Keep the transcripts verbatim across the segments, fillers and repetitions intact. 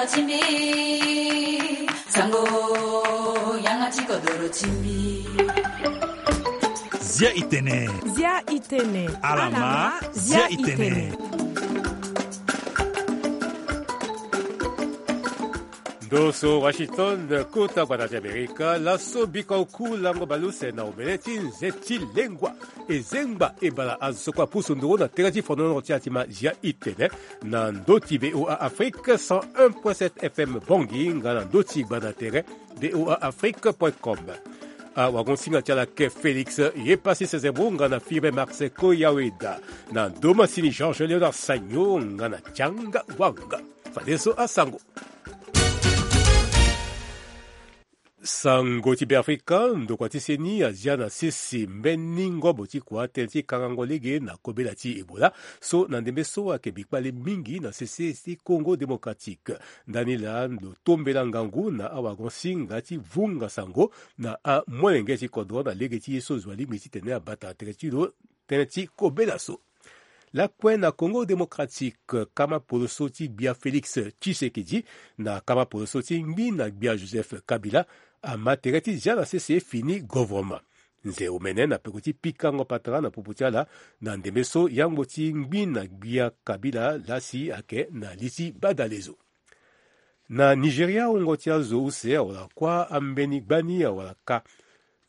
Timbi, sango, yanga ti kodoro timbi. Zia itene. Zia itene. Alama, zia itene. Ndo so Washington, kota gbata ti Amerika, laso bika oku lango baleuse na omene ti nze ti lengua. E zengba e bala azo so kue apusu nduru na tere ti fonono ti atima zia itene na ndö ti V O A Afrique cent un point sept F M Bangui nga na ndö ti gbanda tere V O A Afrique point com. Awagonsinga ti ala ke Félix Yepassi Sezebro nga na Firmin Marseco Yaweda na Domasini Georges Léonard Sagno nga na Tianga Wanga. Fadeso asango. Sango ti Beafrika, ndokua ti seni azia na sese mbeni ngobo ti kua tënë ti kangango lege na kobela ti Ebola so na ndembe so ayeke bikpale mingi na sese ti Congo Démocratique. Ndani laa ndo tombela ngangu na awagonsinga ti vunga sango na amolenge ti kodro na lege ti ye so zo alingbi titene abata na tere ti lo tënë ti kobela so. Lakue na Congo Démocratique, kama poloso ti gbia Félix Tshisekedi na kama poloso ti ngbi na gbia Joseph Kabila ama tere ti zia na sese fini govoroma. Nze omene na peko ti pikango patara na popo ti ala na ndembe so yangbo ti ngbi na gbia Kabila lasi ayeke na li ti badalezo. Na Nigeria, wungo ti azo use awara kuâ ambeni gbani awara kâ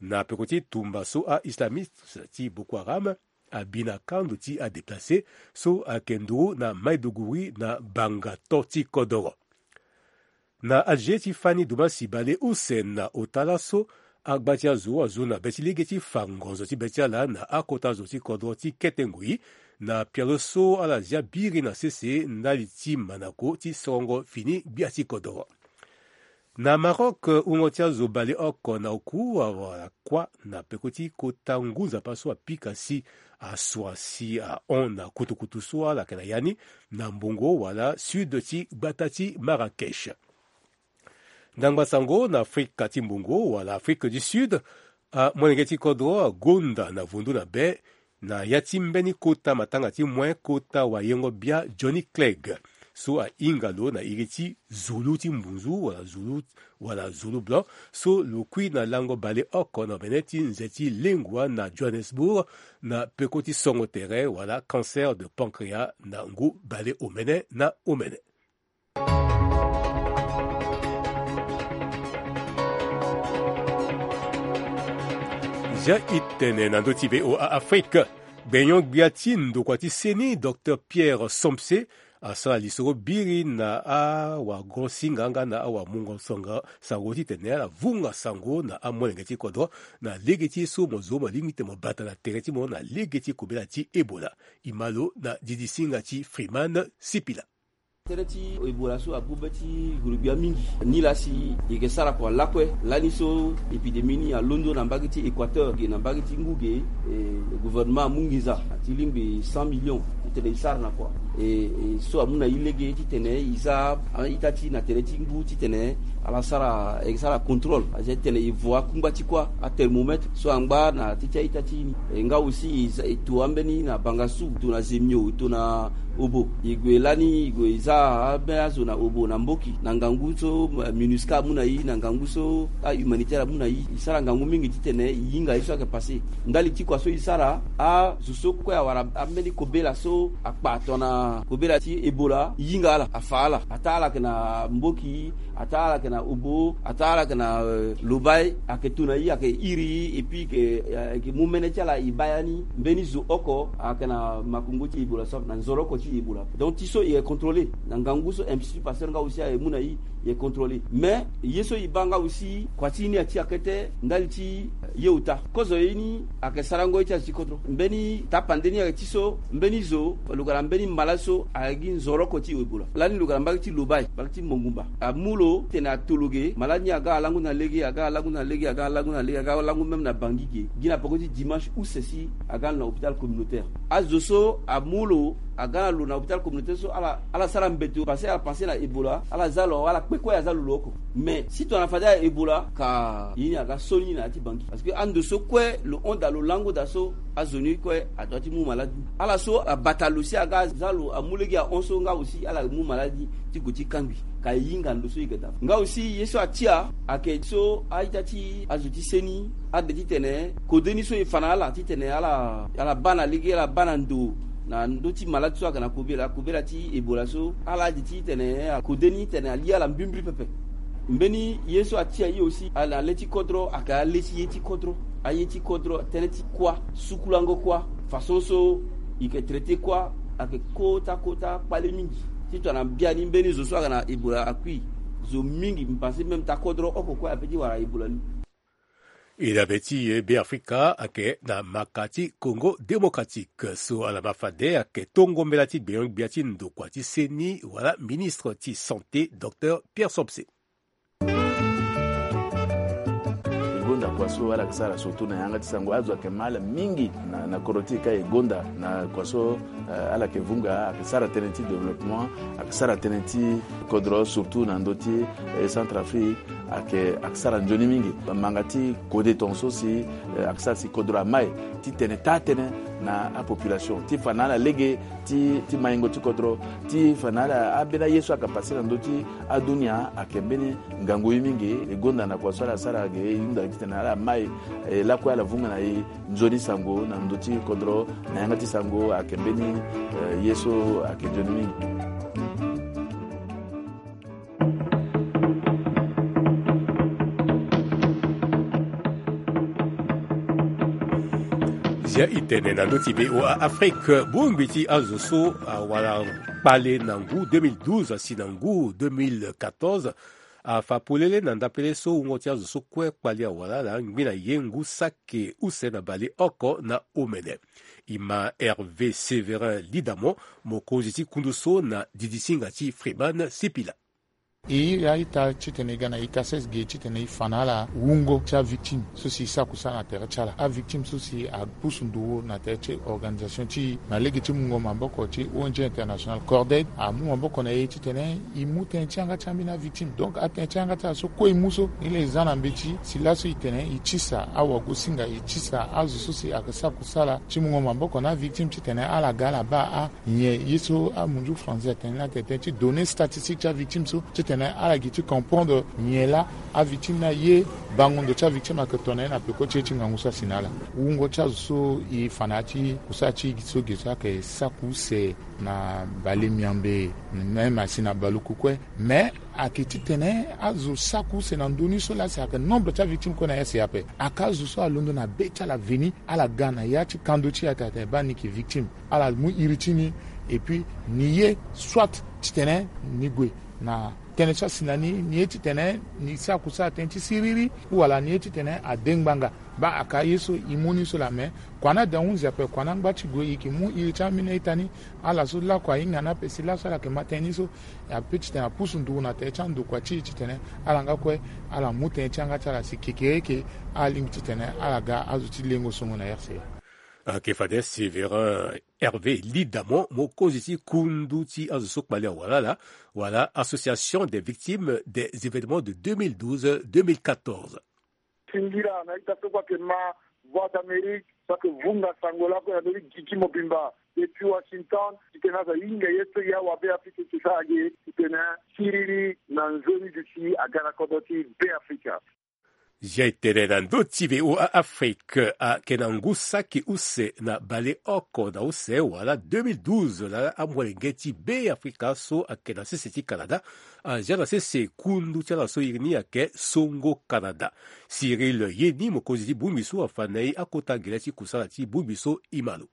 na peko ti tumba so a-islamiste ti Boko Haram abi na kando ti adéplacé so ayeke nduru na Maiduguri na banga to ti kodoro. Na aze ti fani dumasi bale use na ota laso, agba ti azo azo na be ti lege ti fa ngonzo ti be ti ala na akota zo ti kodro ti kete ngoi na pialo so ala zia biri na sese ndali ti manako ti sorongo fini gbia ti kodoro. Na Maroc, wungo ti azo bale oko na oku awara kuâ na peko ti kota ngu nzapa so apika si asua si ahon na kutukutu so ala yeke na ya ni na mbongo wala sud ti gbata ti Marrakech. Ndangba sango na Afrika ti mbongo wala Afrique du Sud, amolenge ti kodro agonda na vundu na be na ya ti mbeni kota matanga ti moin kota wayengo bia Johnny Clegg so ahinga lo na iri ti zulu ti mbunzu wala zulu wala zulu blanc so lo kui na lango bale oko na omene ti nze ti lengua na Johannesburg na peko ti songo tere wala cancer de pancréas na ngu bale omene na omene. Zia itene na ndö ti V O A Afrique. Gbenyo-gbia ti ndokua ti seni, Docteur Pierre Somse, asara lisoro biri na awagosinga nga na awamungo sango titene ala vunga sango na amolenge ti kodro na lege ti ye so mo zo mo lingbi titene mo bata na tere ti mo na lege ti kobela ti Ebola. E ma lo na didisinga ti Freeman Sipila. Tënë ti Ebola so abu be ti gurugbia mingi. Nilaa si e yeke sara kua lakue lani so épidémie ni alondo na mbage ti Équateur ge na mbage ti ngu ge, e, gouvernement amu nginza ti lingbi cent millions titene e sara na kua. E, e so amu na e lege titene e za a-ita ti na tere ti ngu titene ala sara, e sara contrôle. Aza titene e vo akungba ti kuâ, athermomètre so angba na teti a-ita ti e ni. E nga aussi e za, e to ambeni na bangasu, e to na zemio, e to na obo. E gue lani, e gue e za ambeni azo na obo na mboki na ngangu so, eh, MINUSCA amu na e, na ngangu so ahumanitaire amu na e. E sara ngangu mingi titene e hinga ye so ayeke passé. Ndali ti kua so e sara, azo so kue awara ambeni kobela so akpa tongana kobela ti Ebola, e hinga ala, afa ala. Ataa ala yeke na mboki, ataa ala yeke na obo, ataa ala yeke na, eh, lobai, ayeke to na e, ayeke iri e, et puis ke, eh, ayeke mu mene ti ala e baa ya ni. Mbeni zo oko ayeke na makongo ti Ebola so na nzoro oko ti Ebola. Donc ti so e yeke contrôlé na ngangu so Institut Pasteur nga aussi aye mu na e, e yeke contrôlé. Mais ye so e baa nga aussi, kua ti e ni ati akete ndali ti ye ota. Kozo ye ni ayeke sarango ye ti azo ti kodro. Mbeni tapande ni ayeke ti so mbeni zo lo ga na mbeni mala so ayeke gi nzoro oko ti Ebola. Lani lo ga na mbage ti lobai, mbage ti Mongumba. Amu lo titene ato lo ge, malade ni aga alangu na lege, aga alangu na lege, aga alangu na lege, aga alangu même na Bangui ge. Gi na peko ti dimanche use si aga na hôpital communautaire. Azo so amu lo aga na lo na hôpital communautaire so ala ala sara mbeto parce que ala pense na Ebola, ala za lo, ala kpe kue aza lo lo oko. Mais si tongana fade ala Ebola ka ye ni aga so ni na ya ti bangi parce que ando so kue lo hon daa lo lango daa so azo ni kue adoit ti mu malade ni. Ala so abata lo si aga aza lo amu lege ahon so nga aussi ala mu malade ni ti gue ti kangbi. Ka e hinga ndo so e ga daa nga aussi ye so atia ayeke so a-ita ti azo ti seni ade titene kode ni so e fa na ala titene ala ala baa na lege ala baa na ndo na ndö ti malade so ayeke na kobela kobela ti Ebola so ala ade titene akode ni titene alia ala mbrimbri pepe. Mbeni ye so atia ye aussi ala na le ti kodro ayeke ale ti ye ti kodro. Aye ti kodro tënë ti kuâ sukulango kuâ façon so e yeke traité kuâ ayeke kota kota kpale mingi. Ti tongana biani mbeni zo so ayeke na Ebola akui zo mingi mbi pense même taa kodro oko kue ape ti wara Ebola ni. E dabe ti e Beafrika ayeke na maka ti Congo Démocratique so ala ma fade ayeke tongo mbela ti gbenyo-gbia ti ndokua ti seni wala ministre ti santé docteur Pierre Somse. E gonda kua so ala yeke sara surtout na yanga ti sango azo ayeke ma ala mingi na kodro ti e ka e gonda na kua so ala yeke vunga ayeke sara tënë ti développement ayeke sara tënë ti kodro surtout na ndö ti Centrafrique. Ayeke ayeke sara nzoni mingi manga ti kode tongaso si ayeke sara si kodro amai ti tene taa tënë na apopulation ti fa na ala lege ti maingo ti kodro ti fa na ala ambeni aye so ayeke pase na ndö ti adunia ayeke mbeni ngangu ye mingi. E gonda na kua so ala sara ge e hunda titene ala mai e lakue ala vunga na e nzoni sango na ndö ti kodro na yanga ti sango ayeke mbeni ye so ayeke nzoni mingi. Zia e tene na ndö ti VOA Afrique bongbi ti azo so awara kpale na ngu deux mille douze asi na ngu deux mille quatorze. Afa polele na ndapele so wungo ti azo so kue kpali awara ala ngbi na ye ngu saki use na baleoko na omene. E ma Hervé Séverin Lidamon mokonzi ti kundu so na didisinga ti Freeman Sipila. E iri a-ita titene e ga na e kases ge titene e fa na ala wungo ti avictime so si e sara kusala na tere ti ala. Avictime so si apusu nduru na tere ti organisation ti e na lege ti mungo maboko ti O N G international Corded amu maboko na e titene e mu tënë ti yanga ti ambeni avictime. Donc atënë ti yanga ti ala so kue e mu so ni laa e za na mbeti si laso e tene e tisa awagosinga e tisa azo so si ayeke sara kusala ti mungo maboko na avictime titene ala ga ala baa a nyen ye so amunzu français atene ni atene tënë ti données statistiques ti avictime so titene ala gi ti comprendre nyen laa avictime ni aye bango ndo ti avictime ayeke to na ye na peko ti ye ti ngangu so asi na ala. Wungo ti azo so e fa na ya ti kusala ti e gi so ge so ayeke saki use na bale miambe même asi na baluku kue. Mais ayeke titene azo saki use na ndö ni so laa si ayeke nombre ti avictime kue na ya si ape. Ayeke azo so alondo na be ti ala veni ala ga na ya ti kando ti e atene baa ni yeke victime. Ala mu iri ti ni et puis ni ye soit titene ni gue na tënë ti asi na ni ni ye titene ni sara kusala tënë ti siriri. Wala ni ye titene ade ngbanga. Baa aka ye so e mu ni so laa me kua na da hunzi ape kua na ngba ti gue e yeke mu iri ti ambeni a-ita ni. Ala so lakue ahinga ni ape si laso ala yeke ma tënë ni so. Ape titene apusu nduru na tere ti andokua ti e titene ala nga kue ala mu tënë ti yanga ti ala si kekereke ala lingbi titene ala ga azo ti lengo songo na R C A. Ayeke fade Séverin Hervé Lidamon mokonzi ti kundu ti azo so kpali awara ala wala Association des victimes des événements de deux mille douze deux mille quatorze. Singila na ita so kue ayeke ma Voix d'Amérique so ayeke vunga sango lakue na ndö ti gi ti mobimba depuis Washington titene azo ahinga ye so e awabe Afrika eke sara ge titene siriri na nzoni duti aga na kodro ti Beafrika. Zia e tene na ndö ti VOA Afrique ayeke na ngu saki use na baleoko na use wala deux mille douze laa amolenge ti Beafrika so ayeke na sese ti Canada azia na sese kundu ti ala so iri ni ayeke Songo Canada. Cyril Yeni mokonzi ti bongbi so afa na e akota gele ti kusala ti bongbi so e ma lo.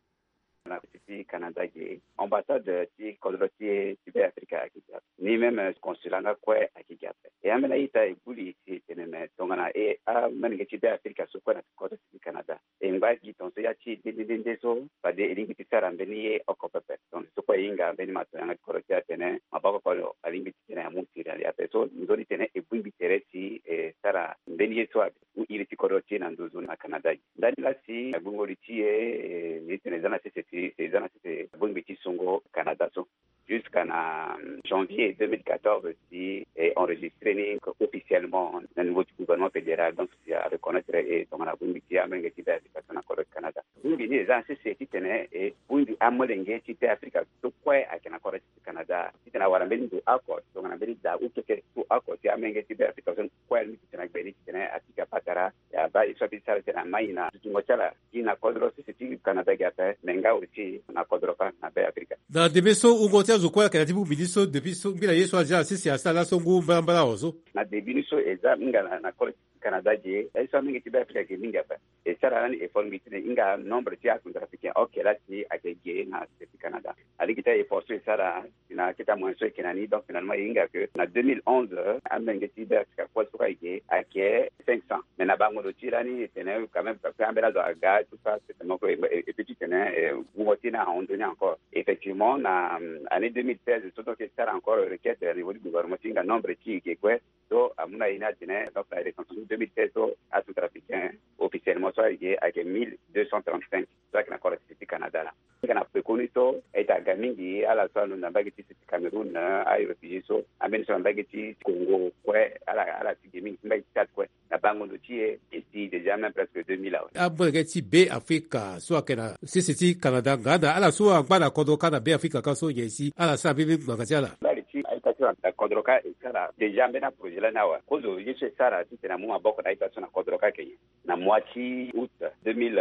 Na ti ti Canada ge ambassade ti kodro ti e ti Beafrika ayeke gi ape. Ni même consulat nga kue ayeke gi ape. E ambeni a-ita e gbu li si e tene me tongana e amolenge ti Beafrika so kue na kodro ti ti Canada e ngba gi tongaso ya ti e nde nde nde so fade e lingbi ti sara mbeni ye oko pepe. Tongaso so kue e hinga mbeni mato yanga ti kodro ti e atene maboko oko alingbi ti tene amu siri na li ape so nzoni tene e bongbi tere si e sara mbeni ye so abe. Mu iri ti kodro ti e na nduzu na Canada gi ndani laa si agbongo li ti e. Ni tene e za na sese ti e za na sese bongbi ti songo Canada so. Jusqu'à na janvier deux mille quatorze si e enregistré ni officiellement na niveau du gouvernement fédéral, donc si a reconnaître e tongana bongbi ti amolenge ti Be Afrika so na kodro ti Canada. Bongbi ni eza na sese titene e bongbi amolenge ti Be Afrika so kue ayeke na kodro ti Canada titene awara mbeni ndo oko tongana mbeni da ukeke so oko si amolenge ti Be Afrika so kue alingbi titene agbe ni titene apika patara. Ya ba e so abi sara titene amai na dutingo ti ala gi na kodro sese ti Canada gi ape me nga aussi na kodro kâ na Be Afrika. Na debe so wungo ti azo kue ayeke na ti bongbi ni so depuis so ngbila ye so azia na sese asara laso ngu mbalambala awe so. Na debe ni so eza hinga na kodro ti Canada gi e aye so amolenge ti Be Afrika gi mingi ape. E sara lani effort mingi titene e hinga nombre ti acentrafricain oke laa si ayeke gi na sese ti Canada. Alingbi ti a effort so e sara si na akete amoyen so e yeke na ni donc finalement e hinga que na deux mille onze amolenge ti Be Afrika kue so kue ayeke ayeke cinq cents. Mais na bango ndo ti lani e tene quand même parce que ambeni azo aga tout ça c'est tellement que e peut ti tene wungo ti ni ahon ndoni encore. Effectivement na année deux mille seize so donc e sara encore requête na niveau du gouvernement ti hinga nombre ti e gi kue. So amu na ye ni atene donc na recensement deux mille seize so acentrafricain officiellement so ayeke ayeke mille deux cent trente-cinq so ayeke na kodro ti sese ti Canada laa. Nga na pekoni so e ta ga mingi ala so alondo na mbage ti sese ti Cameroun, aréfugié so ambeni so na mbage ti Congo kue ala ala ti ge mingi ti mbage ti Tchad kue. Na bango ndo ti e e si déjà même presque deux mille awe. Amolenge ti Be Afrika so ayeke na sese ti Canada nga na ala so angba na kodro kâ na Be Afrika kâ so nyen si ala sara mbeni ngbanga ti ala. Mbali ti a-ita ti ala na kodro kâ e sara déjà mbeni aprojet lani awe. Kozo ye so e sara titene amu maboko na a-ita so na kodro kâ ayeke nyen? Na mois ti août deux mille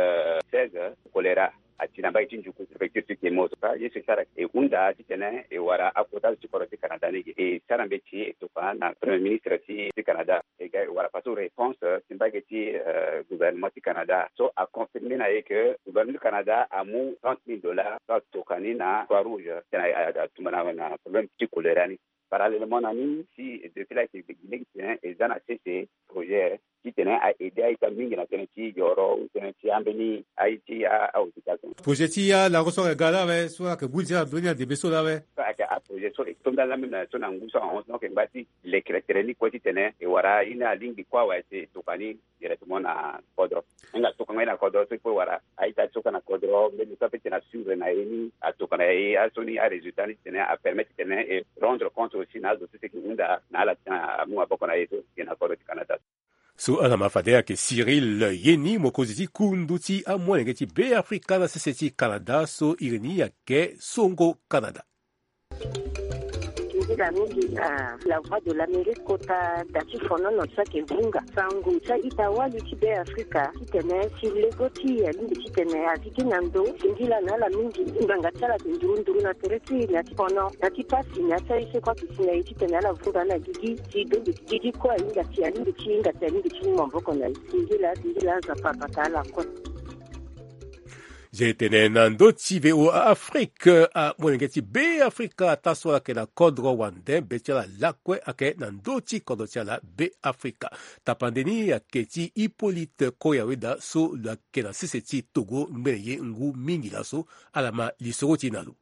seize, choléra ati na mbage ti Ndjuku, préfecture ti Kemo so kâ ye so e sara e hunda titene e wara akota zo ti kodro ti Canada ni ge. E sara mbeti e tokua na premier ministre ti ti Canada. E ga e wara faso réponse ti mbage ti gouvernement ti Canada so aconfirmer na e que gouvernement ti Canada amu trente mille dollars so atoka ni na Croix Rouge titene atumba na problème ti choléra ni. Parallèlement na ni si depuis là e yeke gi lege titene e za na sese projet titene a aider a-ita mingi na tënë ti yoro ou tënë ti ambeni aye ti ahôpital so. Projet ti alango so ayeke ga laa awe so ayeke ngu nzia na ndoni na ndembe so laa awe. So ayeke aprojet so e to ndali laa même na so na ngu so ahon so donc e ngba ti leke tere ni kue titene e wara aye ni alingbi kue awe si e tokua ni directement na kodro. Hinga tokango ye na kodro so e kue wara a-ita so kue na kodro mbeni so apeut ti tene asure na ye ni atoka na ye aso ni arésultat ni titene apermettre titene e rendre compte aussi na azo so si e yeke hunda na ala titene amu maboko na ye so e yeke na kodro ti Canada. So ala ma fade ayeke Cyril Yeni mokonzi ti kundu ti amolenge ti Be Afrika na sese ti Canada so iri ni ayeke Songo Canada. Nzila mingi na La Voix de l'Amérique kota da ti fonono so ayeke vunga sango ti a-ita wali ti Be Afrika titene si lego ti e alingbi titene azi gi na ndo singila na ala mingi. Ngbanga ti ala ayeke nduru nduru na tere ti e na ti fono na ti pasi na ya ti aye so kue ayeke si na e titene ala vunga na gigi si dongi gigi kue ahinga si alingbi ti hinga si alingbi ti mu maboko na e. Singila singila Nzapa abata ala kue. Zia e tene na ndö ti V O A Afrique, amolenge ti Be Afrika taa so ayeke na kodro wande be ti ala lakue ayeke na ndö ti kodro ti ala Be Afrika. Tapande ni ayeke ti Hippolyte Koyaweda so lo yeke na sese ti Togo ngbene ye ngu mingi laso. Ala ma lisoro ti e na lo.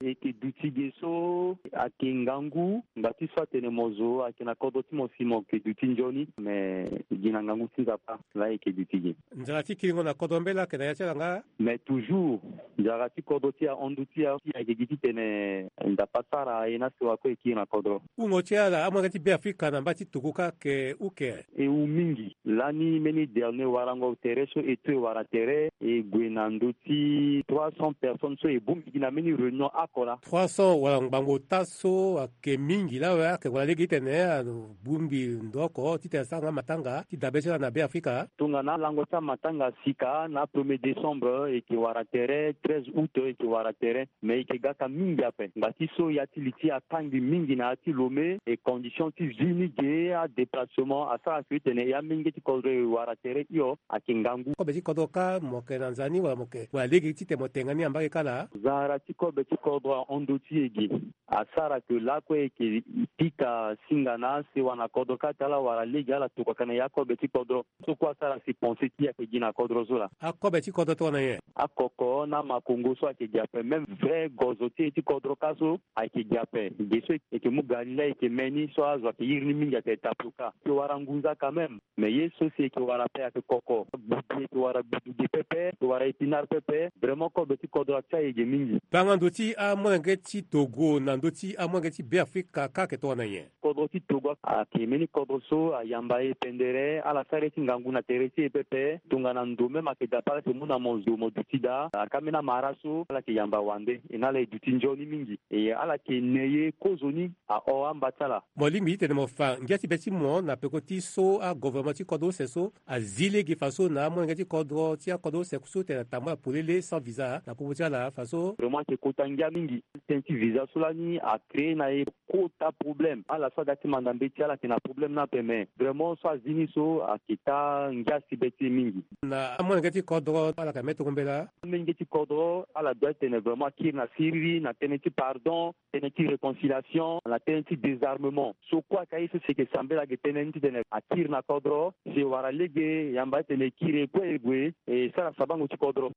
E yeke duti ge so ayeke ngangu ngba ti so atene mo zo ayeke na kodro ti mo si mo yeke duti nzoni me e gi na ngangu ti Nzapa. Laa e yeke duti ge. Nzara ti kiringo na kodro mbela ayeke na ya ti ala nga. Mais toujours nzara ti kodro ti ahon ndu ti e ayeke gi titene Nzapa asara e na sewa kue e kiri na kodro. Hungo ti ala amolenge ti Be Afrika na mba ti Togo kâ ayeke uke. E hu mingi. Lani mbeni dernier warango tere so e to e wara tere e gue na ndö ti trois cents personnes so e bongbi gi na mbeni réunion oko laa. Trois cents wala ngbangbo ota so ayeke mingi laa awe ayeke wara lege titene alo bongbi ndo oko titene asara nga matanga ti dabe ti ala na Be Afrika. Tongana alango ti amatanga asika na premier décembre e yeke wara tere, treize août e yeke wara tere. Mais e yeke gaka mingi ape ngba ti so ya ti li ti e akangbi mingi na ya ti Lomé e condition ti vie ni ge adéplacement asara si tene e amenge ti kodro e wara tere hio ayeke ngangu. Kobe ti kodro kâ mo yeke na nza ni wala mo yeke wala lege titene mo tenga ni na mbage kâ laa. Nzara ti kobe ti kodro ahon ndo ti e ge. Asara ke lakue e yeke pika singa na asewa na kodro kâ ti ala wala lege ala tokua ka na ya kobe ti kodro. So kue asara si pense ti e ayeke gi na kodro so laa. Akobe ti kodro tongana nyen? Akoko na amakongo so ayeke gi ape même vrai gozo ti e ti kodro kâ so ayeke gi ape. Ge so e yeke mu ga ni laa e yeke me ni so azo ayeke iri ni mingi ayeke tapioka. E yeke wara ngunza quand même. Mais ye so si e yeke wara ape ayeke koko. Gbudu e yeke wara gbudu ge pepe e yeke wara épinard pepe. Vraiment kobe ti kodro atia e ge mingi. Banga ndo ti amolenge ti Togo na ndö ti amolenge ti Beafrika kâ ayeke tongana nyen? Kodro ti Togo ayeke mbeni kodro so ayamba e pendere, ala sara ye ti ngangu na tere ti e pepe, tongana ndo même ayeke daa pe ala yeke mu na mo zo mo duti daa, ayeke ambeni amara so ala yeke yamba wande, e na ala e duti nzoni mingi, e ala yeke ne ye kozoni ahon amba ti ala. Mo lingbi ti tene mo fa ngia ti be ti mo na peko ti so agovernement ti kodro use so azi lege faso na amolenge ti kodro ti akodro use so tene atambula polele sans visa na popo ti ala faso. Vraiment ayeke kota ngia mingi. Tënë ti visa so lani acréé na e kota problème. Ala so aga ti manda mbeti ala yeke na problème ni ape, mais vraiment so azi ni so ayeke taa ngia si be ti e mingi. Na amolenge ti kodro ala yeke ambeni tongo mbela. Amolenge ti kodro ala doit ti tene vraiment akiri na siriri na tënë ti pardon, tënë ti réconciliation, na tënë ti désarmement. So kue ayeke aye so si e yeke sambela ayeke tënë ni titene akiri na kodro si e wara lege, yamba ti tene e kiri e kue e gue e sara sabango ti kodro.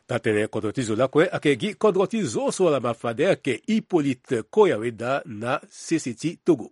Taa-tënë kodro ti zo lakue ayeke gi kodro ti zo so ala ma fade ayeke Hippolyte Koyaweda na sese ti Togo.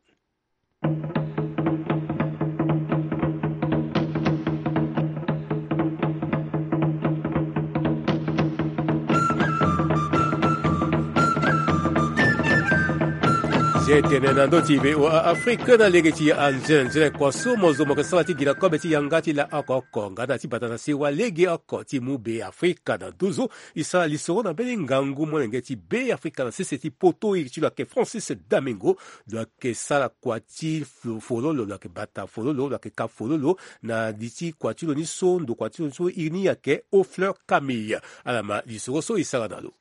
Si e tene na ndö ti V O A Afrique na lege ti anzene nzene kua so mo zo mo yeke sara ti gi na kobe ti yanga ti la oko oko nga na ti bata na sewa lege oko ti mu Be Afrika na nduzu. E sara lisoro na mbeni ngangu molenge ti Be Afrika na sese ti poto iri ti lo ayeke Francis Damigo. Lo yeke sara kua ti fo- fololo, lo yeke bata fololo, lo yeke ka fololo na li ti kua ti lo ni so ndo kua ti lo ni so iri ni ayeke Haut Fleur Camille. Ala ma lisoro so e sara na lo.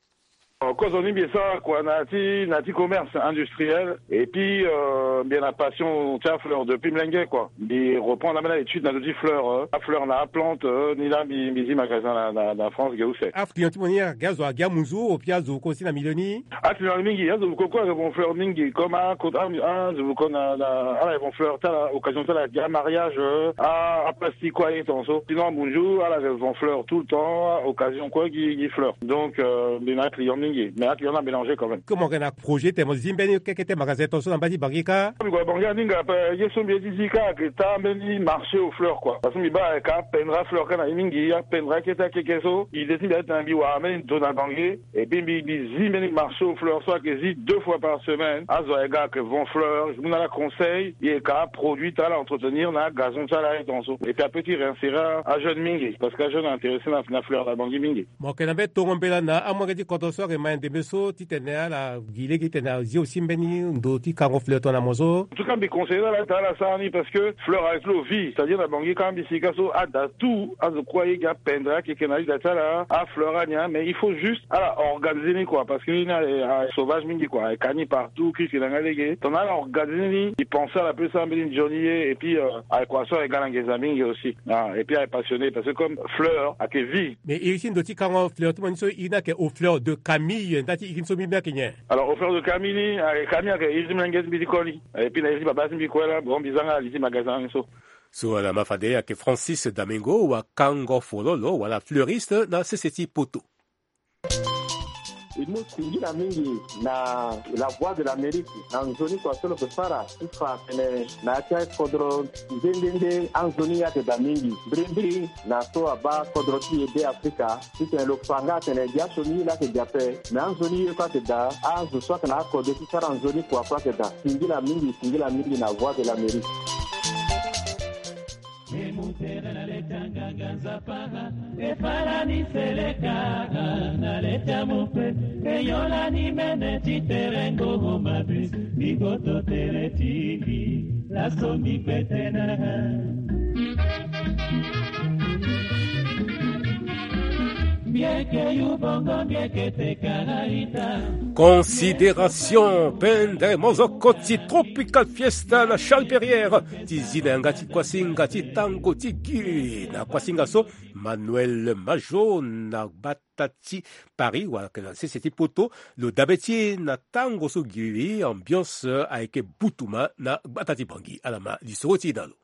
Kozoni mbi sara kua na ti na ti commerce industriel et puis euh, mbi na passion ti afleur depuis mlenge kua. Mbi reprendre ambeni étude na ndö ti fleur, euh, afleur na aplante, euh, ni laa mbi mbi zi magasin na na na France ge use. Aclient ti mo ni ayeke gi azo agi amunzu ou puis azo vuko si na milieu ni? Aclient mingi, azo vuko kue ayeke vend fleur mingi comme a azo vuko na na ala yeke vend fleur ti ala occasion ti ala gi amariage, euh, a aplastique kue aye tonga so, sinon amunzu ala yeke vend fleur tout le temps, occasion kue gi gi fleur. Donc euh, mbi na aclient mingi mais aclient ni amélange quand même. Ke mo yeke na projet ti tene mo zi mbeni keke ti magasin tonga so na mbai ti Bangui kâ? Mbi gue na Bangui aninga ape. Ye so mbi ye ti zi kâ ayeke taa mbeni marché aux fleurs kua. Parce que mbi baa ayeke apendre afleur kâ na ye mingi, apendre akete akeke so. Idée ti mbi ayeke titene mbi wara mbeni ndo na Bangui. Et puis mbi mbi zi mbeni marché aux fleurs so ayeke zi deux fois par semaine. Azo ayeke ga ayeke vend fleur, mbi mu na ala conseil, e yeke aproduit ti ala, entretenir na agazon ti ala aye tonga so. Et puis apeut ti réinsérer ajeune mingi parce que ajeune aintéressé na na fleur na Bangui mingi. Mo yeke na mbeni tongo mbela na amolenge ti kodro so ayeke ma ndembe so titene ala gi lege titene azi aussi mbeni ndo ti kango fleur tongana mo so. En tout cas mbi conseiller ala ti ala sara ni parce que fleur avec lo vie, c'est-à-dire na Bangui kâ mbi si kâ so ada tout azo kue aye gi apendre akeke na lida ti ala afleur ania, mais il faut juste ala organiser ni kua parce que ni aye sauvage mingi kua, aye ka ni partout kiki na nga lege tongana ala organiser ni. Mbi pense ala peut sara mbeni nzoni ye et puis euh, aye kua so aye ga na nginza mingi aussi. Ah, et puis aye passionné parce que comme fleur ayeke vie. Mais iri ti ndo ti kango fleur ti mo ni so iri ni ayeke Haut Fleur de Camille, nda ti iri ni so mbi mbi ayeke nyen? Alors Haut Fleur de Camille ni ayeke Camille ayeke iri ti mlenge ti mbi ti koli. Et puis na iri ti babâ ti mbi kue laa bon mbi za nga na li ti magasin ni so. So ala ma fade ayeke Francis Damigo wakango fololo wala fleuriste na sese ti poto. E mu singila mingi na La Voix de l'Amérique na nzoni kua so lo yeke sara ti fa atene na ya ti akodro nde nde nde anzoni ye ayeke daa mingi mbirimbiri na so abaa kodro ti e Be Afrika. Titene lo fa nga atene gi asioni ye laa ayeke gi ape. Me anzoni ye kue ayeke daa, azo so ayeke na akode ti sara nzoni kua kue ayeke daa. Singila mingi, singila mingi na Voix de l'Amérique. E mu tere na le ti anganga nzapa, e fâ lani seleka na le ti amu pe, e yo lani mene ti tere ngongo mabe. Mbi goto tere ti mbi laso mbi kpete na. Mbi yeke yu bongo mbi yeke te kara ita. Considération pende mozoko ti Tropical Fiesta na Charles Perrière ti zi na yanga ti kuasinga ti tango ti gi na kuasinga so. Manuel Majo na gbata ti Paris wala yeke na sese ti poto lo dabe ti e na tango so gi ambiance ayeke butuma na gbata ti Bangui. Ala ma lisoro ti e na lo.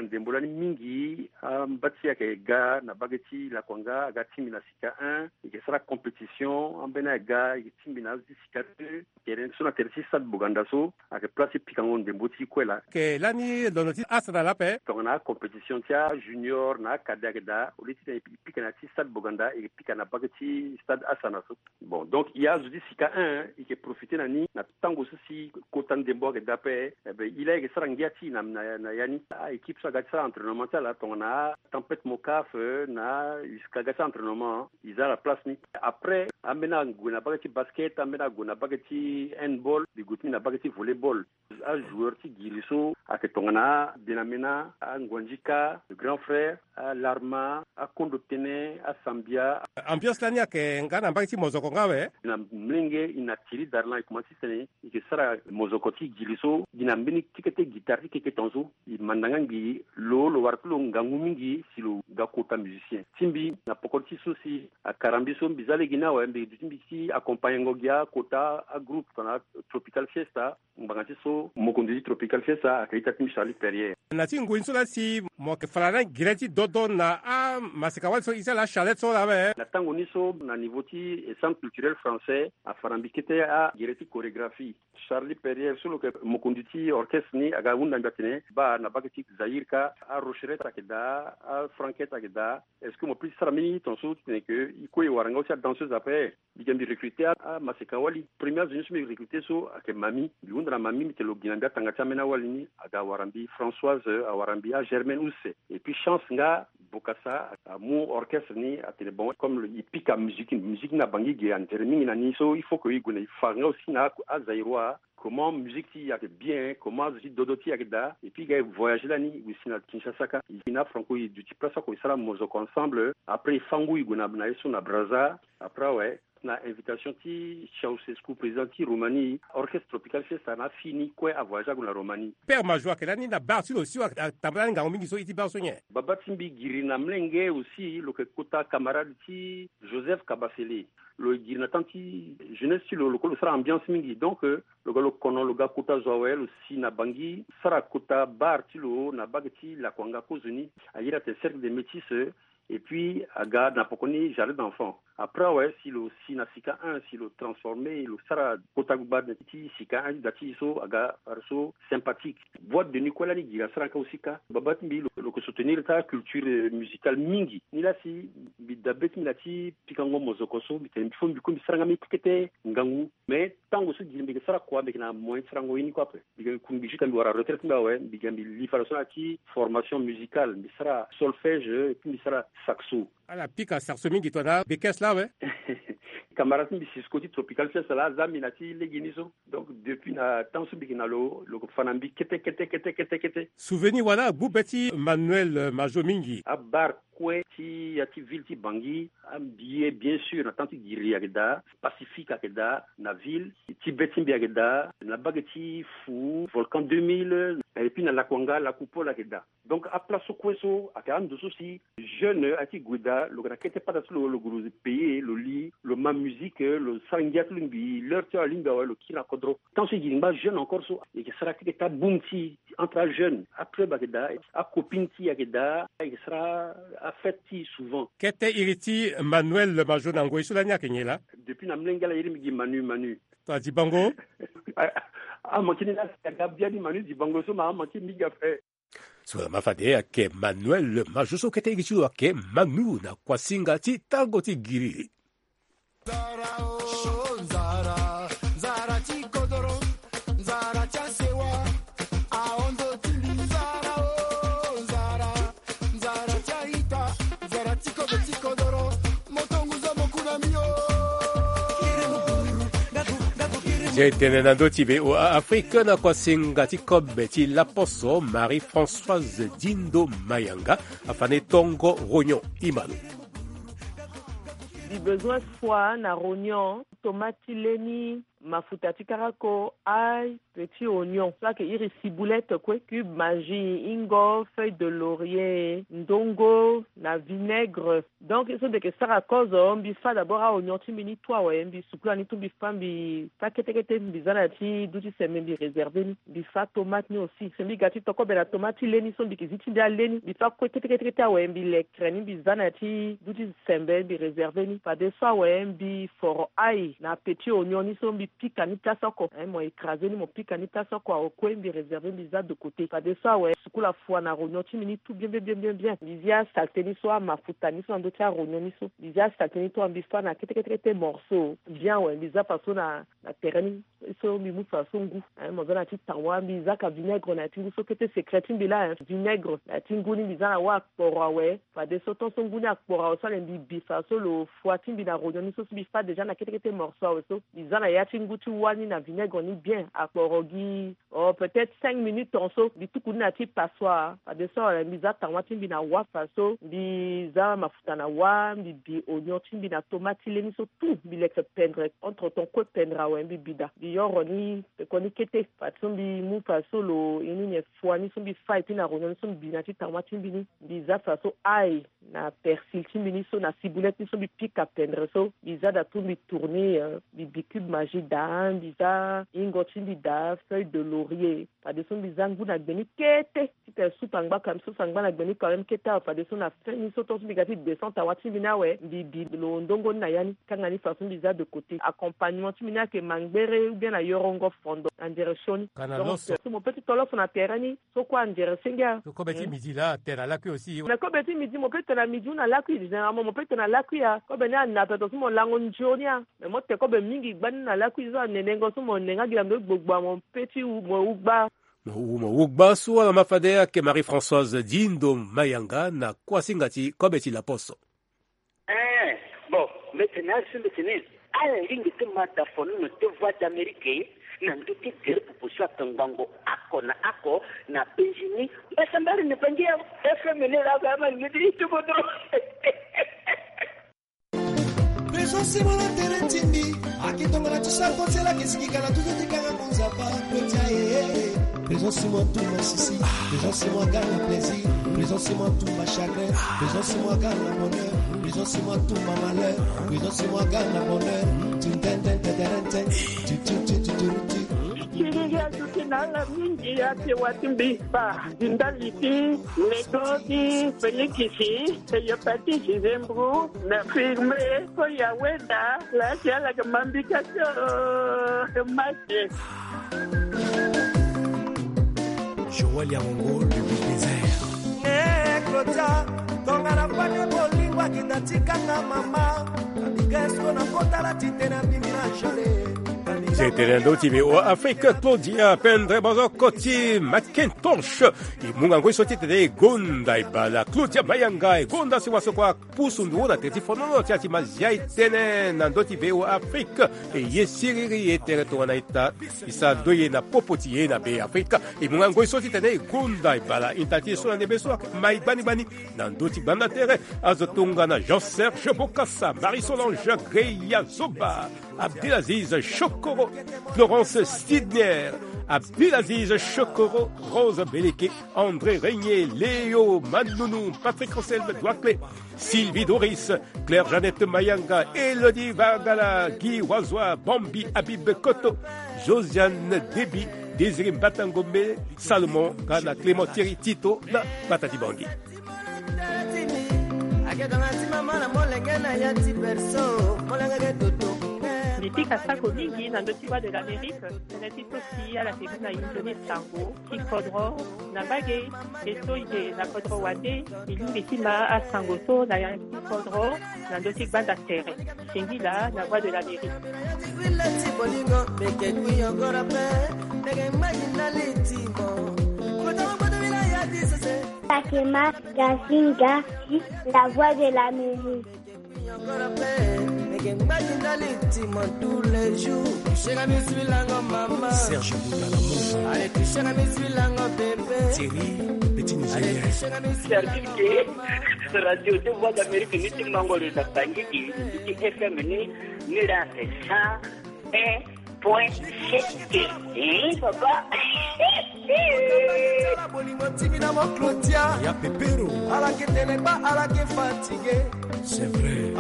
Ndembo lani mingi amba ti ayeke ga na mbage ti lakuanga aga tingbi na sika un, e yeke sara compétition. Ambeni aga e yeke tingbi na azo ti sika deux. Tere so na tere ti stade Boganda so ayeke place ti pikango ndembo ti kue laa. Ayeke lani londo ti asana laa ape. Tongana acompétition ti ajunior na acadet ayeke daa, au lieu ti tene e pika na ya ti stade Boganda, e yeke pika na mbage ti stade asana so. Bon, donc e azo ti sika un e yeke profiter na ni na tango so si kota ndembo ayeke daa ape. Ebe e laa e yeke sara ngia ti e na ya ni. Aéquipe so aga ti sara entraînement ti ala tongana atempête mocaf na uska aga ti sara entraînement, e za na place ni. Après ambeni ague na mbage ti basket, ambeni ague na mbage ti handball, mbi gue ti mbi na mbage ti volleyball. Ajoueur ti giri so ayeke tongana abenamena, anguandjika, le grand frère, alarma, akondo tene, asambia. Ambiance lani ayeke nga na mbage ti mozoko nga awe. Na mlenge e na tiri darlan e komanse ti tene e yeke sara mozoko ti giri so gi na mbeni ti kete guitare ti keke tonga so. E manda nga ngbii lo lo wara ti lo ngangu mingi si lo ga kota musicien ti mbi na poko ti so si akara mbi so mbi za lege ni awe mbi duti mbi ti accompagnengo gi akota agroupe tongana Tropical Fiesta. Ngbanga ti so mokonzi ti Tropical Fiesta ayeke ita ti mbi Charlie Perrier. Na ti ngoi ni so laa si mo yeke fa na gere ti dodo na amaseka wali so e ti ala Charlette so laa awe. Na tango ni so na niveau ti centre culturel français afa na mbi kete agere ti chorégraphie. Charlie Perrier so lo yeke mokonzi ti orchestre ni aga hunda mbi atene baa na mbage ti Zaïre kâ arocheret ayeke daa, afranquette ayeke daa. Est-ce que mo peut ti sara mbeni tonga so ti tene ke e kue e wara nga aussi adanseuse ape? Mbi ga mbi recruter amaseka wali. Premier azo ni so mbi recruter so ayeke Mami. Mbi hunda na Mami mbi tene lo gi na mbi atanga ti ambeni awali ni. Aga awara mbi Françoise, awara mbi aGermaine Use. Et puis chance nga Bokassa amu orchestre ni atene bon comme e pika musique, musique ni na Bangui ge antere mingi na ni so il faut que e gue na e fa nga aussi na aZaïrois. Comment musique ti e ayeke bien, comment azo ti dodo ti e ayeke daa. Et puis e ga e voyager lani e gue si na Kinshasa kâ. E gi na aFranco e duti place oko e sara mozoko ensemble. Après e fâ ngu e gue na ye so na Brazza. Après awe na invitation ti Ceausescu, président ti Roumanie, orchestre Tropical Fiesta na afini kue avoyage ague na Roumanie. Père Majo ayeke lani na bar ti lo si atambula lani ngangu mingi so e ti bar so nyen? Baba ti mbi giri na mlenge aussi lo yeke kota camarade ti Joseph Kabasele. Lo giri na temps ti jeunesse ti lo lo kue lo sara ambiance mingi donc lo ga lo kono lo ga kota zo awe lo si na Bangui sara kota bar ti lo na mbage ti lakuanga kozoni. Ayeda atene cercle de métis. Et puis aga na poko ni jardin d'enfant. Après awe si lo si na sika un si lo transformer lo sara kota gbagba ti sika un ti da ti e so aga wara so sympathique. Boîte de nuit kue lani giri asara nga aussi kâ. Baba ti mbi lo yeke soutenir ti aculture musicale mingi. Ni laa si mbi dabe ti mbi na ti pikango mozoko so mbi tene mbi fo mbi kue mbi sara nga mbi kete ngangu. Mais tango so giri mbi yeke sara kua mbi yeke na moyen ti sarango ye ni kue ape. Mbi ga mbi kungbi jusqu'à mbi wara retraite ti mbi awe mbi ga mbi li fade so na ya ti formation musicale mbi sara solfège et puis mbi sara saxo. Ala pika saxo mingi tongana bekes laa awe. Camarade ti mbi Cisco ti Tropical Fiesta laa aza mbi na ti legeni so. Donc depuis na temps so mbi yeke na lo lo yeke fa na mbi kete kete kete kete kete. Souvenir wala agbu be ti Manuel Majo mingi. Abar kue ti ya ti ville ti Bangui ambi ye bien sûr na temps ti giri ayeke daa, Pacifique ayeke daa, na ville ti be ti mbi ayeke daa, na mbage ti Fou, Volcan deux mille, et puis na Lakuanga, Lakupol ayeke daa. Donc aplace so kue so ayeke ando so si jeune aye ti gue daa lo yeke na kete pata ti lo lo gue lo payer lo li lo ma musique lo sara ngia ti lo ngbii l'heure ti lo alingbi awe lo kiri na kodro. Tant so e gi ngba jeune encore so e yeke sara keke ti abum ti e entre ajeune, aclub ayeke daa, acopine ti e ayeke daa, e yeke sara afête ti e souvent. Kete iri ti Manuel Majo na ngoi so lani ayeke nyen laa? Depuis na mlenge ala iri mbi gi Manu Manu. Tongana dibango? Amanke ni laa si aga bia ni Manu dibango so ma amanke mingi ape. So lama fade ayeke Manuel Majo so kete iri ti lo ayeke Manu na kuasinga ti tango ti giri. Nzara o nzara, nzara ti kodoro, nzara ti asewa, ahon ndo ti mbi nzara o nzara, nzara ti a-ita, nzara ti kobe ti kodoro, moto ngu zo moku na mbi o. Ti e tene na ndö ti V O A Afrique na kuasinga ti kobe ti laposo Marie Françoise Dindo Mayanga afani tongo rognon imano. Mbi bezoin square na rognon, tomate ti leni, mafuta ti karako, ail, petit oignon, so ayeke iri ciboulette kue, cube Maggi, hingo, feuille de laurier, ndongo na vinaigre. Donc ye so mbi yeke sara kozo, mbi fâ d'abord a-oignon ti mbi ni tout awe, mbi sukula ni tout, mbi fâ, mbi fâ kete kete, mbi za na ya ti duti sembe, mbi réserver ni. Mbi fâ tomate ni aussi. Se mbi ga ti to kobe na tomate ti le ni so mbi yeke zi ti mbi ale ni, mbi fâ kue kete kete kete awe, mbi lekere ni, mbi za na ya ti duti sembe, mbi réserver ni. Fadeso awe, mbi foro ail na petit oignon ni so mbi pika ni place oko. Hein, mo écraser ni, mo pika ni place oko awe kue, mbi réserver, mbi za de côté. Fadeso awe, sukula fua na rognon ti mbi ni tout bien, bien, bien, bien, bien. Mbi zi asaleté ni so, amafuta ni so na ndö ti arognon ni so. Mbi zi asaleté ni tout, mbi fâ na kete kete kete morceau. Bien awe, mbi za faso na, na tere ni. So mbi mu faso ngu. Hein, mo za na ya ti tawa, mbi za ka vinaigre na ya ti ngu so kete secret ti mbi laa, hein. Vinaigre na ya ti ngu ni mbi za na wâ akporo awe. Fadeso tant so ngu ni akporo awe so ale mbi bi faso lo fua ti mbi na rognon ni so, so mbi fâ déjà na kete kete morceau awe so. Mbi za na ya ti ngu ti wâ ni na vinaigre ni bien. Akporo gi, oh, peut-être cinq minutes ton so, mbi tuku ni na ya ti passoire. Fadeso awe mbi za tawa ti mbi na wâ faso, mbi za mafuta na wâ, mbi bi oignon ti mbi na tomate ti le ni so tout, mbi leke pendre. Entre temps kue pendre awe, mbi bi daa. Mbi yoro ni, peko ni kete. Fadeso mbi mu faso lo, ye ni nyen, fua ni so mbi fâ, et puis na rognon ni so mbi bi na ya ti tawa ti mbi ni. Mbi za faso ail na persil ti mbi ni so, na ciboulette ni so mbi pika pendre so, mbi za daa tout, mbi tourner, euh, mbi bi cube Maggi daa, mbi za hingo ti mbi daa, feuille de laurier. Fadeso mbi za ngu na gbe ni kete. Titene soupe angba quand même, sauce angba na gbe ni quand même kete awe. Fadeso na fin ni so tant so mbi ga ti descente tawa ti mbi ni awe, mbi bi lo ndongo ni na ya ni. Kanga ni faso mbi za de côté. Accompagnement ti mbi ni ayeke mangbere ou bien na yorongo fondo na ndere sioni. Donc, euh, so mo peut ti tolo so na tere ni. So kue anzere senge a. So kobe ti midi laa atene na lakui aussi. Mais kobe ti midi mo peut tene na midi ou na lakui, généralement mo peut tene na lakui a. Kobe ni ana peto so mo lango nzoni a. Mais mo tene kobe mingi gbani na lakui so anenengo so mo nenga gi na ndo gbogbo a, mo peut ti wu, mo wu gba. Mo wu, mo wu gba so ala ma fade ayeke Marie-Françoise Dindo Mayanga na kuasinga ti kobe ti laposo. Eh, bon, mbi tene asi mbi tene, ala lingbi ti ma da fonono ti Voix d'Amérique na ndö ti gere popo so atongbango oko na oko na penzi ni. Mbasambari ni pangi ya F M ni laa, ama ni ti tubu dro. Président Simon na tere ti mbi, aki tongana ti sa kotela ke siki kala tuzo ti kanga. Président Simon tout ma souci, Président Simon gana plaisir, Président Simon tout ma chagrin, Président Simon gana bonheur, Président Simon tout ma malheur, Président Simon gana bonheur. Tintententeterente, titititititi. Siriri azuti na ala mingi ake wati mbi pa ndali ti Neto ti Felikisi, Cléopâtre ti Gisembro, na firme ko ya weda. Laki ala ke mambika ti o mate. Joël Yango, le big désert. Eh, Claudia, tongana fani bolingo akinda tikanga mama. Abigail so na kota la titene abimi na jale. Titene ndo ti be o Afrique, Claudia Pendre, bozo koti Macintosh. E munga ngoi so titene e gonda e bala. Claudia Mayanga e gonda si waso kua. Pusu ndugu na tere ti fonono ti ya ti mazia e tene na ndö ti V O A Afrique. E ye siriri e tere tongana ita e sara ndoye na popo ti e na Be Afrika. E munga ngoi so titene e gonda e bala ita ti e so na ndembe so ayeke mai gbani gbani na ndö ti gbanda tere. Azo tongana Jean Serge Bokassa, Marie Solange Greya Zoba, Abdelaziz Chokoro, Florence Sidner, Abdelaziz Chokoro, Rose Beleke, André Régnier, Léo Manounou, Patrick Anselme Douakle, Sylvie Doris, Claire Jeannette Mayanga, Elodie Vagala, Guy Wazoa, Bambi Habib Koto, Josiane Déby, Désiré Mbatangombe, Salomon, nga na Clément Thierry Tito na Bata Dibangi. Mbi pika sako mingi na ndö ti Voix de l'Amérique, tënë ti so si ala ke mu na inzo ni sango ti kodro na mbage. Mbi so e yeke na kodro wande, mbi lingbi ti ma asango so na ya ti kodro na ndö ti gbanda tere. Singila na Voix de l'Amérique. Takema Gazinga, la Voix de l'Amérique. Serge Boudala, Thierry, petit Nigérien. Serge ke, Radio de Voix d'Amérique, ni ti mango le na Bangui, ni ti F M ni, ni la sa, eh, Point sept. Eh, papa. Ya pepero. C'est vrai.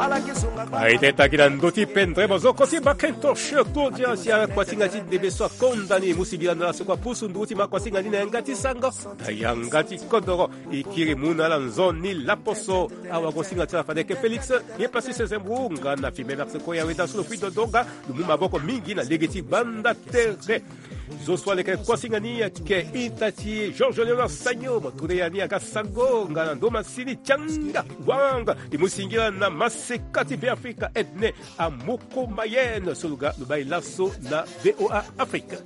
Aye tene taki na ndö ti pendre mo zo kosi bakento shirtour dia si akuasinga ti debe so akonda ni mu singila na la so kua pusu nduru ti ma akuasinga ni na yanga ti sango na yanga ti kodoro. E kiri mu na ala nzoni laposo. Awagosinga ti ala fade ke Félix ye pasi sezembunga na fimbe merci ko ya weda so lo fui dodonga. Lo mu maboko mingi na lege ti gbanda tere. Zo so aleke kuasinga ni ayeke ita ti Georges Léonard Sagno mo ture ya ni aga sango nga na ndo masini tianga wanga. E mu singila na maseka ti Beafrika Edne Amoko Mayenne so lo ga lo bai laso na VOA Afrique.